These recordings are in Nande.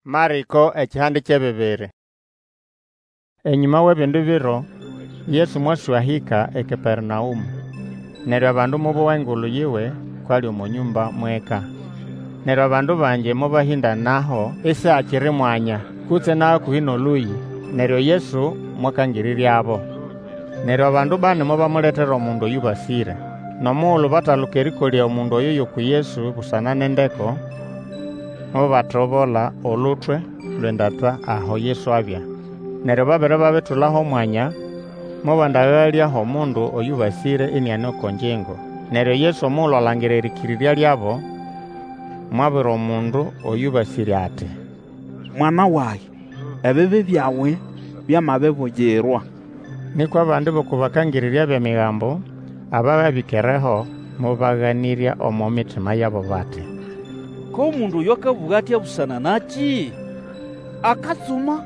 Marĩko ekihande ky'ebibiri. Enyũma w'ebindi biro, Yesu mwaswahĩka eKapernaũmũ. Neryo abandu mobowa engulu yiwe kw'ali omo nyũmba mw'eka. Neryo abandu bangi mobahĩndanaho isihakiri mwanya, kutse n'ahakũhĩ n'olũyĩ. Neryo Yesu mwakangĩrĩryabo. Neryo abandu bani mobamuletera omundu oyũbasĩre. N'omugulu bataluka erĩkolya omundu oyo y'uku Yesu busana n'endeko, mobatobola olutwe lw'endata aho Yesu abya. Neryo babere babitula h'omwanya, mobandagalya h'omundu oyũbasĩre iniane oko ngyingo. Neryo Yesu omugulu alangira erĩkĩrĩrya lyabo, mwabwira omundu oyũbasĩre ati, Mwana wage, ebibi byawe byamabibuyirwa. Nĩkwa abandi b'oko bakangĩrĩrya b'Emigambo ababya bĩkereho mobaganĩrya omo mitima yabo bati, K'omundu oyo akabũga atya busana nakĩ? Akatsuma!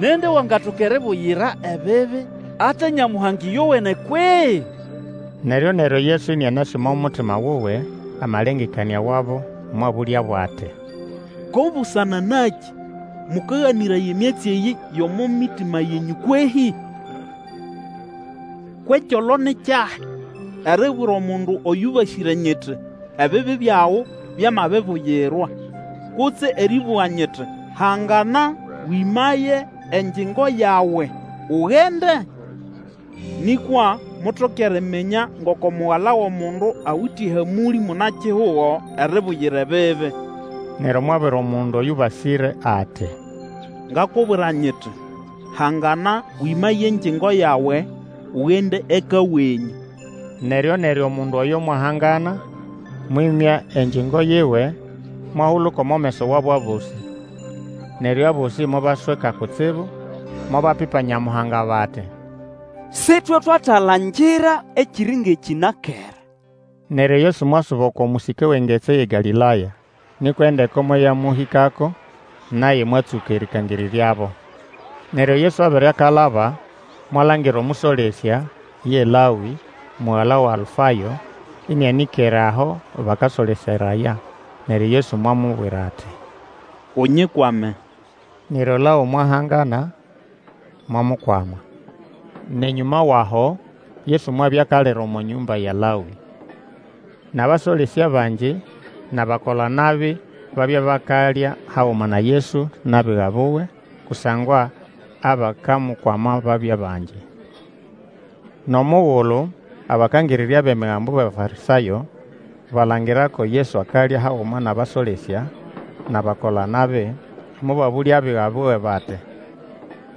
Nindi wangatoka eribuyira ebibi ate Nyamuhanga ĩyowene kwehĩ? Neryo-neryo Yesu ĩnĩanasĩ omo mutima wuwe amalengekanĩa wabo, mwabũlyabo ati, Ko busana nakĩ mũkaganĩraya emyatsi eyĩ y'omo mitima yenyũ kwehĩ? Kw'ekyolo ni kyahi, eribwira omundu oyũbasĩre nyiti, Ebibi byawe byamabibuyirwa, kutse erĩbũga nyiti, Hangana, wĩmaye engyingo yawe, ugende? Nĩkwa mutoke eriminya ngoko Mugala w'Omundu awite ehamũlĩ muna-kihugo eribuyira ebibi. Neryo mwabwira omundu oyũbasĩre ati, Ngakubwira nyiti, Hangana, wĩmaye engyingo yawe, ugende eka wenyũ. Neryo-neryo omundu oyo mwahangana, mwĩmya engyingo yiwe, mwahuluka omo meso wabo abosĩ. Neryo abosĩ mobasweka kutsibu, mobapipa Nyamuhanga bati, Sitwe twatalangira ekiri ng'ekĩ na kera. Neryo Yesu mwasuba oko mũsĩke w'engetsi y'eGalĩlaya. Nĩkwa endeko moyamũhĩkako, naye mwatsũka erĩkangĩrĩryabo. Neryo Yesu abere akalaba, mwalangira omũsolesya, ye Lawĩ, mugala wa Alfayo, ĩnĩanĩkere aho bakasoleseraya. Neryo Yesu mwamubwira ati, Unyikwame. Neryo Lawi mwahangana, mwamukwama. N'enyũma w'aho Yesu mwabya akalira omo nyũmba ya Lawĩ. N'abasolesya bangi n'abakola-nabi babya bakalya haguma na Yesu n'abiga buwe, kusangwa abakamukwama babya bangi. N'omugulu abakangĩrĩrya b'Emigambo b'Abafarĩsayo balangira ko Yesu akalya haguma n'abasolesya n'abakola-nabi, mobabũlya abiga buwe bati,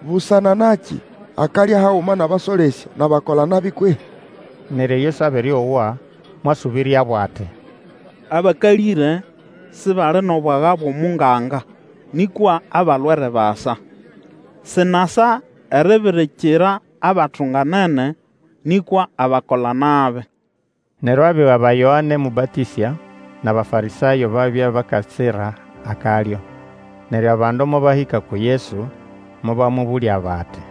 Busana nakĩ akalya haguma n'abasolesya n'abakola-nabi kwehĩ? Neryo Yesu abere owa, mwasũbĩryabo ati, Abakalĩre sibali n'obwaga bw'omunganga, nĩkwa abalwere basa. Sinasa eribirikira abatunganene, nĩkwa abakola-nabi. Neryo abiga ba Yoane Mũbatĩsya n'Abafarĩsayo babya bakatsira akalyo. Neryo abandu mobahĩka uku Yesu, mobamũbũlya bati,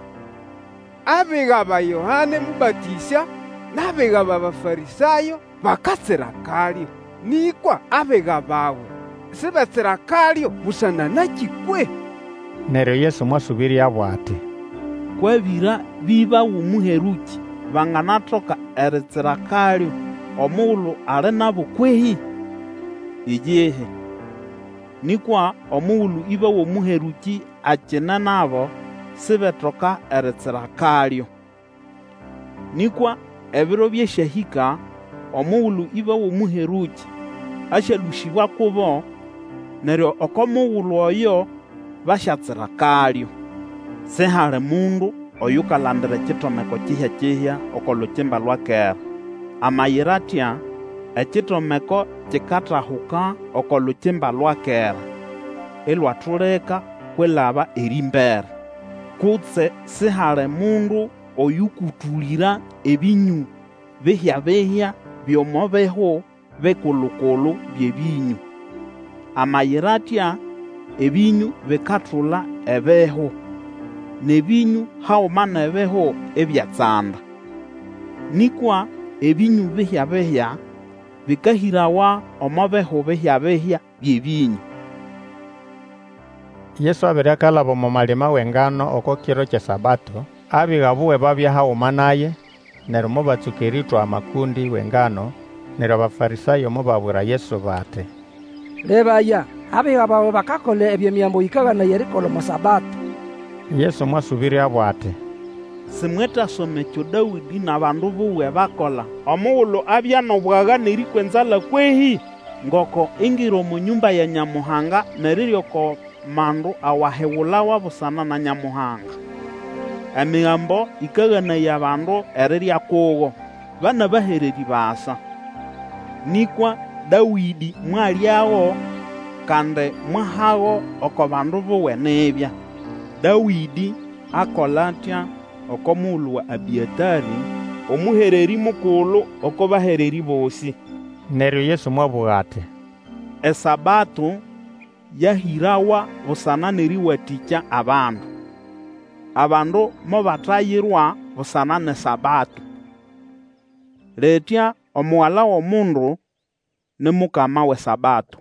Abiga ba Yoane Mũbatĩsya n'abiga b'Abafarĩsayo bakatsira akalyo, nĩkwa abiga bawe sibetsira akalyo busana nakĩ kwehĩ? Neryo Yesu mwasũbĩryabo ati, Kw'abĩra b'ĩba w'omũherũkĩ banganatoka eritsira akalyo omugulu ali nabo kwehĩ? Iyihi! Nĩkwa omugulu ĩba w'omũherũkĩ akine nabo, sibetoka eritsira akalyo. Nĩkwa ebiro byasyahĩka omugulu ĩba w'omũherũkĩ asyalũsĩbwa kubo, neryo oko mugulu oyo basyatsira akalyo. Sihali mundu oyukalandira ekitomeko kihya-kihya oko lukimba lwa kera. Amayira atya, ekitomeko kikatahuka oko lukimba lwa kera, ilwatulika kwilaba erĩmbere. Kutse sihali mundu oyũkũtũlĩra ebĩnyũ bihya-bihya by'omo bihu bikulu-kulu by'ebĩnyũ. Amayira atya, ebĩnyũ bikatula ebihu, n'ebĩnyũ haguma n'ebihu ibyatsanda. Nĩkwa ebĩnyũ bihya-bihya bĩkahĩrawa omo bihu bihya-bihya by'ebĩnyũ. Yesu abere akalaba omo malima w'engano oko kiro ky'eSabato, abiga buwe babya haguma naye, neryo mobatsũka erĩtwa amakũndĩ w'engano. Neryo Abafarĩsayo mobabwira Yesu bati, Lebaya, abiga bawe bakakola ebyo Emigambo yĩkaganaya erikola omo Sabato. Yesu mwasũbĩryabo ati, Simwetasoma ekyo Dawĩdĩ n'abandu buwe bakola omugulu abya n'obwaga n'erĩkwa enzala kwehĩ? Ngoko ingira omo nyũmba ya Nyamuhanga n'erirya oko mandu awahigulawa busana na Nyamuhanga. Emigambo ĩkaganaya abandu erirya kugo, ba n'abahererĩ basa. Nĩkwa Dawĩdĩ mwalyago, kandi mwahago oko bandu buwe nibya. Dawĩdĩ akola atya oko mugulu wa Abĩatarĩ, omũhererĩ mukulu oko bahererĩ bosĩ. Neryo Yesu mwabũga ati, ESabato yahĩrawa busana n'erĩwatĩkya abandu. Abandu mobatayirwa busana n'eSabato. Litya Omugala w'Omundu ni Mukama w'eSabato.